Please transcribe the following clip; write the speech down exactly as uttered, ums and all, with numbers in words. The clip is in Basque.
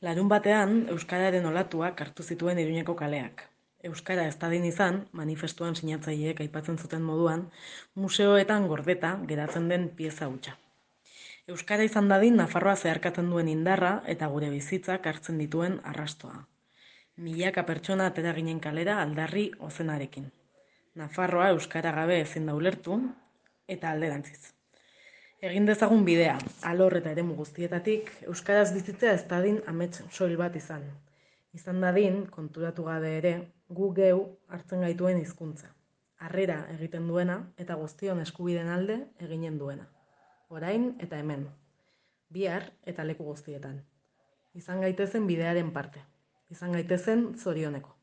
Larun batean, euskararen olatuak hartu zituen Iruñeko kaleak. Euskara ez dadin izan, manifestuan sinatzaileek aipatzen zuten moduan, museoetan gordeta geratzen den pieza hutsa. Euskara izan dadin Nafarroa zeharkatzen duen indarra eta gure bizitzak hartzen dituen arrastoa. Milaka pertsona atera ginen kalera aldarri ozenarekin. Nafarroa euskara gabe ezin da ulertu eta alderantziz. Egin dezagun bidea, alor eta eremu guztietatik, euskaraz bizitzea ez dadin amets soil bat izan. Izan dadin, konturatu gabe ere, gu geu hartzen gaituen hizkuntza. Harrera egiten duena eta guztion eskubideen alde eginen duena. Orain eta hemen. Bihar eta leku guztietan. Izan gaitezen bidearen parte. Izan gaitezen zorioneko.